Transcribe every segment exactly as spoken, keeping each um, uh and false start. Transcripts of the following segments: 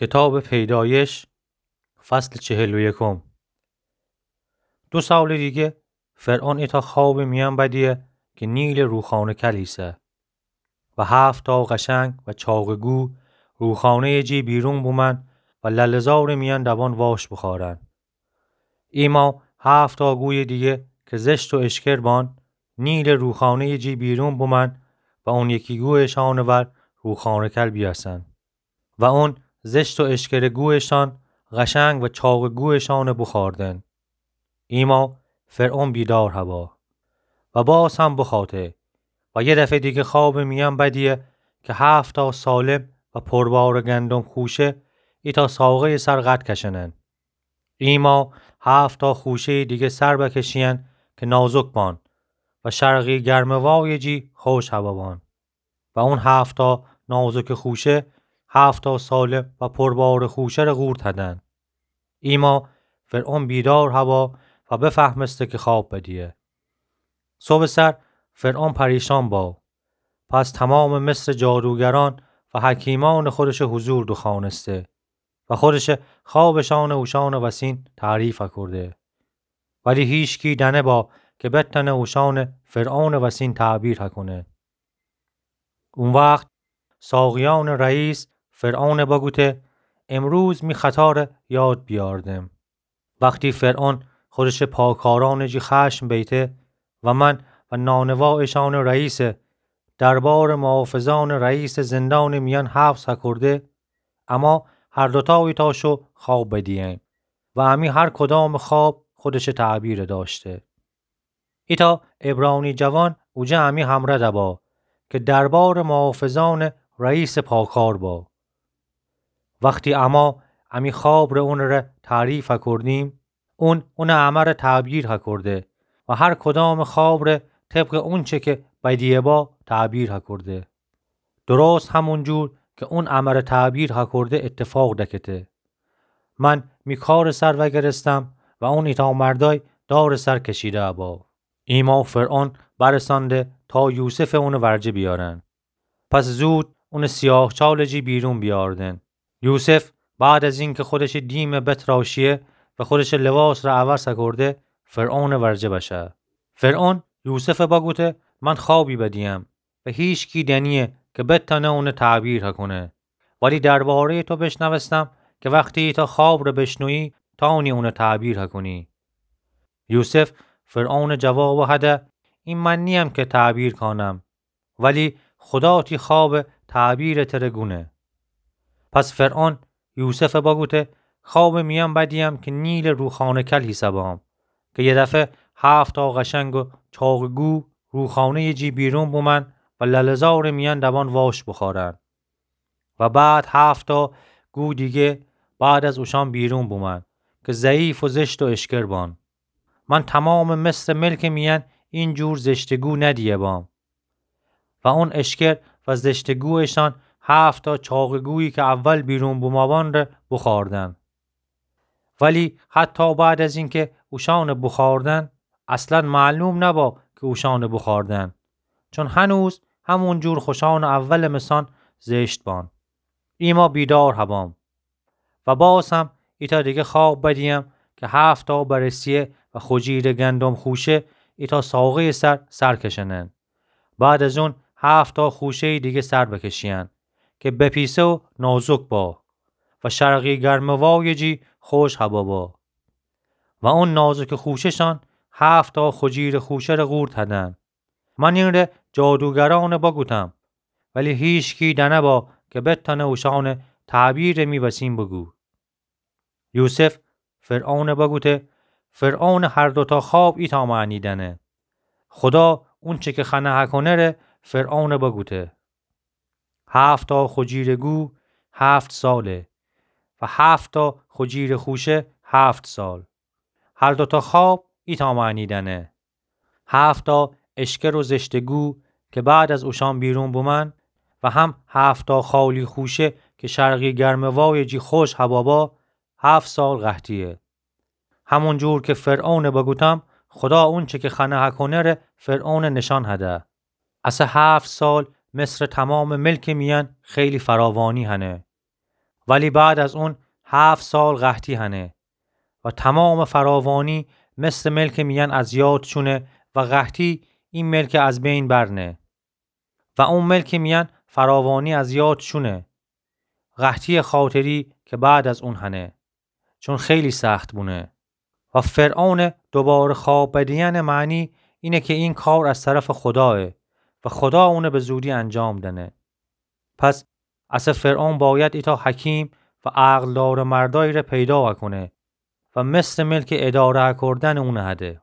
کتابٚ پیدایش، فصلٚ چهل و یکم. دو سالٚ دیگه فرعون ایتأ خوابٚ میأن بدیه که نیلٚ روخانه کل ایسه و هفتا قشنگ و چاقٚ گو روخانه‌یٚ جی بیرون بومأن و لله‌زارٚ میأن دوان واش بوخوأرأن. ایما هفتا گویٚ دیگه که زشت و اشکر بان، نیلٚ روخانه‌یٚ جی بیرون بومأن و اون یکی گویٚ شأنٚ ور روخانه کل بیأسأن. و اون زشت و اشکرٚ گویٚ شأن قشنگ و چاقٚ گویٚ شأنٚ بوخوأردن. ایما فرعون بیدار هوا و باز هم بوخوأته و یه دفعه دیگه خوابٚ میأن بدیه که هفتا سالم و پربارٚ گندم خوشه ایتأ ساقه‌یٚ سر قد کشنن. ایما هفتا خوشه‌یٚ دیگه سر بکشیأن که نازک بان و شرقی گرمه‌وایٚ جی خوش هوا بان. و اون هفتا نازکٚ خوشه هفتا سالم و پربارٚ خوشه ره قورت هدن. ایما فرعون بیدار هوا و بفهمسته که خواب بدیه. صبحٚ سر فرعون پریشان با. پس تومامٚ مصرٚ جادوگرأن و حکیمأنٚ خودشٚ حضور دوخوأنسته و خودشٚ خوابٚ شأنٚ اوشأنٚ وسین تعریف کرده. ولی هیچکی دأنه با که بتأنه اوشأنٚ فرعونٚ وسین تعبیر کنه. او وخت ساقیأنٚ رئیس فرعون بگوته: امروز می خطا ره یاد بیأردم. وختی فرعون خودشٚ پاکارأنٚ جی خشم بیته و من و نانوا اشأنٚ رئیسٚ دربارٚ محافظأنٚ رئیسٚ زندانٚ میأن حبس کرده، اما هر دوتا ایتأ شو خواب بدییم و امی هر کدامٚ خواب خودشٚ تعبیر داشته. ایتأ عبرانی جوان اوجه امی همره دبا که دربارٚ محافظأنٚ رئیسٚ پاکار با. وختی اما امی خواب ره اونٚ ره تعریف کردیم، اون اونٚ امره تعبیر کرده و هر کدامٚ خواب ره طبقٚ اونچه که بدیه با تعبیر کرده. درست همون جور که اون امره تعبیر کرده اتفاق دکته. من می کارٚ سر وگرستم و اون ایتأ مردأی دارٚ سر کشیده با. ایما فرعون برسأنده تا یوسفٚ اونٚ ورجه بیأرن. پس زود اونٚ سیاه چالٚ جی بیرون بیأردن. یوسف بعد از اینکه خودشٚ دیمٚ بتراشیه و خودشٚ لباس ره عوض کرده، فرعونٚ ورجه بشه. فرعون یوسف بگوته: من خوابی بدیم و هیچکی دنیه که بتأنه اونٚ تعبیر کنه. ولی درباره‌یٚ تو بشنوستم که وختی ایتأ خواب ره بشنویی، تأنی اونٚ تعبیر کنی. یوسف فرعونٚ جواب هده: این من نییم که تعبیر کانم، ولی خدا تی خوابٚ تعبیرٚ تره گونه. پس فرعون یوسف بگوته: خوابٚ میأن بدیم که نیلٚ روخانه کل حیسه بام، که یه دفعه هفتا قشنگ و چاقٚ گو روخانه‌یٚ جی بیرون بومأن و لله‌زارٚ میأن دوان واش بوخوأرأن. و بعد هفتا گو دیگه بعد از اوشأن بیرون بومأن که ضعیف و زشت و اشکر بان. من تومامٚ مصرٚ ملکٚ میأن این جور زشتٚ گو ندیه بام. و اون اشکر و زشتٚ گویٚ شأن هفتا چاقٚ گویی که اول بیرون بومأن ره بوخوأردن. ولی حتی بعد از اینکه اوشأن بوخوأردن، اصلاً معلوم نبا که اوشأن بوخوأردن، چون هنوز همون جور خوشأنٚ اولٚ مثأن زشت بان. ایما بیدار هبام. و باز هم ایتأ دیگه خواب بدیم که هفتا برسیه و خجیرٚ گندم خوشه ایتأ ساقه‌یٚ سر سر کشنن. بعد از اون هفتا خوشه‌یٚ دیگه سر بکشیأن که بپیسه و نازک با و شرقی گرمه‌وایٚ جی خوش هوا با. و اون نازکٚ خوشه شأن هفتا خجیرٚ خوشه ره قورت هدن. من این ره جادوگرأن بگوتم، ولی هیچکی دأنه با که بتأنه اوشأنٚ تعبیرٚ می وسین بگو. یوسف فرعون بگوته: فرعونٚ هر دوتا خواب ایتأ معنی دأنه. خدا اونچه که خنه هکونه ره فرعون بگوته. هفتا خجیرٚ گو هفت ساله و هفتا خجیرٚ خوشه هفت سال. هر دوتا خواب ایتأ معنی دأنه. هفتا اشکر و زشتٚ گو که بعد از اوشأن بیرون بومأن و هم هفتا خالی خوشه که شرقی گرمه‌وایٚ جی خوش هوا با، هفت سال قحطیه. همون جور که فرعون بگوتم، خدا اونچه که خنه هکونه ره فرعون نشأن هده. اسه هفت سال مصرٚ تومامٚ ملکٚ میأن خیلی فراوانی هنه. ولی بعد از اون هفت سال قحطی هنه و تمام فراوانی مصر ملک میان از یاد چونه و قحطی این ملک از بین برنه و اون ملک میان فراوانی از یاد چونه. قحطی خاطری که بعد از اون هنه، چون خیلی سخت بونه. و فرعون دوباره خواب بدیئن معنی اینه که این کار از طرف خداه و خدا اونه به زودی انجام دنه. پس اسه فرعون باید ایتا حکیم و عقلدار مردایی ره پیدا کنه و مصر ملک اداره کردن اونه هده.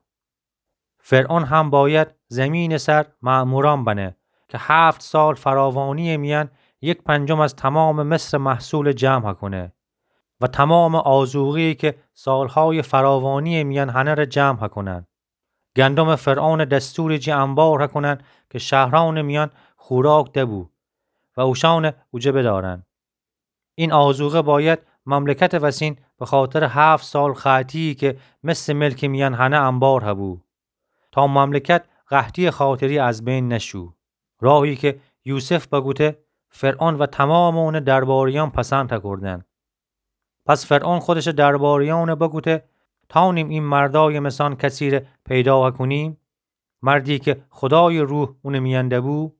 فرعون هم باید زمین سر مأموران بنه که هفت سال فراوانی میان یک پنجم از تمام مصر محصول جمع کنه و تمام آذوقه‌ای که سالهای فراوانی میان هنه ره جمع کنن. گندم فرعون دستور جی انبار کنن که شهران میان خوراک دبو و اوشان اوجه بدارن. این آذوقه باید مملکت وسین به خاطر هفت سال قحطی که مصر ملک میان هنه انبار هبو، تا مملکت قحطی خاطری از بین نشو. راهی که یوسف بگوته، فرعون و تمام اون درباریان پسند کردن. پس فرعون خودش درباریان بگوته، تانیم این مردای مثان کسی ره پیدا کنیم؟ مردی که خدای روح اون میان دبو؟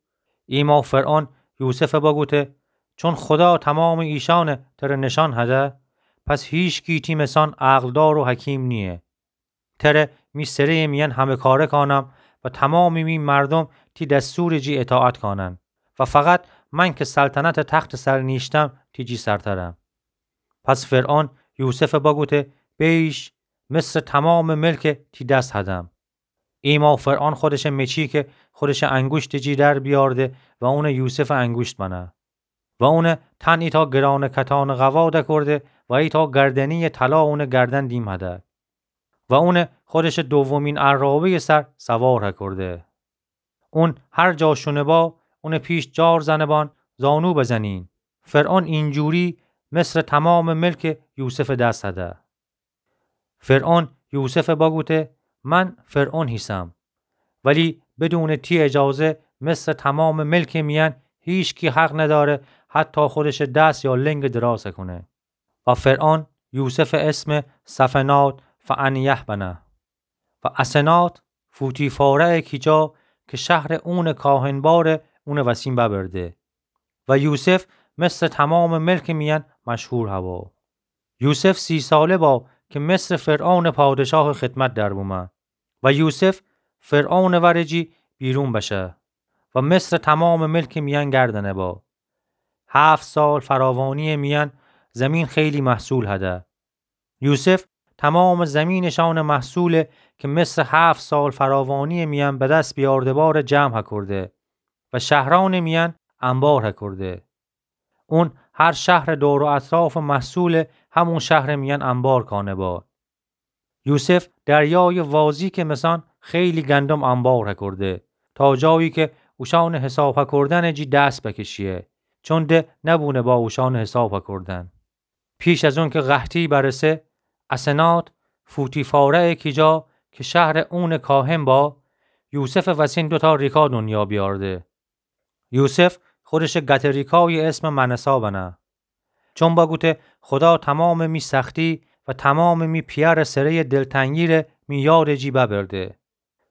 ایما فرعون یوسف بگوته، چون خدا تمام ایشان تره نشان هده، پس هیچکی تی مثان عقلدار و حکیم نیه. تره می سره میان همه کاره کانم و تمام می مردم تی دستور جی اطاعت کانن و فقط من که سلطنت تخت سر نیشتم تی جی سرترم. پس فرعون یوسف بگوته، بیش، مصر تمام ملک تی دست هدم. ایما فرعون خودش مچی که خودش انگوشت جی در بیارده و اون یوسف انگوشت بنه و اون تن ایتا گران کتان قوا دکرده و ایتا گردنی طلا اون گردن دیم هده و اون خودش دومین عرابه‌ی سر سوار هکرده. اون هر جا شونه با، اون پیش جار زنه بان، زانو بزنین. فرعون اینجوری مصر تمام ملک یوسف دست هده. فرعون یوسف بگوته، من فرعون هیسم، ولی بدون تی اجازه مصر تمام ملک میان هیچکی حق نداره حتی خودش دست یا لنگ دراز کنه. و فرعون یوسف اسم سفنات فعنیه بنه. و اسنات فوتیفاره‌ی کیجا که شهر اون کاهن باره اون وسین ببرده. و یوسف مصر تمام ملک میان مشهور هوا. یوسف سی ساله با که مصر فرعون پادشاه خدمت در بومه. و یوسف فرعون ورجی بیرون بشه و مصر تمام ملک میان گردنه با. هفت سال فراوانی میان زمین خیلی محصول هده. یوسف تمام زمینشان محصوله که مصر هفت سال فراوانی میان به دست بیارده باره جمع هکرده و شهران میان انبار هکرده. اون هر شهر دور و اطراف محصول همون شهر میان انبار کانه با. یوسف دریای وازی که مثان خیلی گندم انبار هکرده، تا جایی که اوشان حساب هکردن جی دست بکشیه، چون ده نبونه با اوشان حساب هکردن. پیش از اون که قحطی برسه، اسنات فوتیفاره‌ی کیجا که شهر اون کاهن با، یوسف وسین دوتا ریکا دنیا بیارده. یوسف خودش گته ریکای اسم منسا بنه. چون بگوته خدا تمام می سختی و تمام می پیار سره دلتنگی ره می یاد جی ببرده.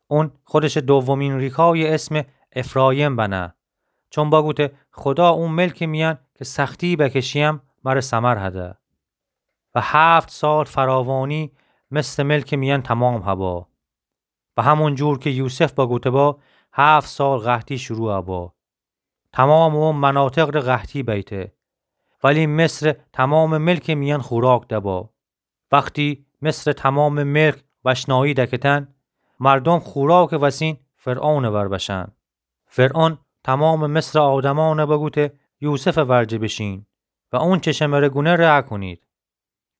اون خودش دومین ریکای اسم افرایم بنه. چون بگوته خدا اون ملک میان که سختی بکشیم مره ثمر هده. و هفت سال فراوانی مصر ملک میان تمام هبا. و همون جور که یوسف بگوته با، هفت سال قحطی شروع با. تمام او مناطق ره قحطی بیته. ولی مصر تمام ملک میان خوراک دبا. وقتی مصر تمام ملک وشنایی دکتن، مردم خوراک وسین فرعون ور بشن. فرعون تمام مصر آدمان بگوته یوسف ورجه بشین و اون چه شمره گونه ره کنید.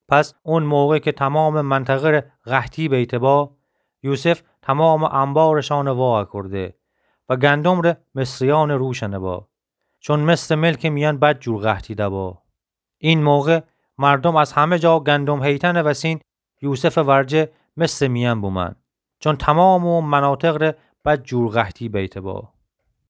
پس اون موقع که تمام منطقه ره قحطی بیته با، یوسف تمام انبارشان وا کرده و گندم ره مصریان روشنه با، چون مصر ملک میان بد جور قحطی دبا. این موقع مردم از همه جا گندم هیتن وسین یوسف ورجه مصر میان بومن، چون تمام او مناطق ره بد جور قحطی بیته با.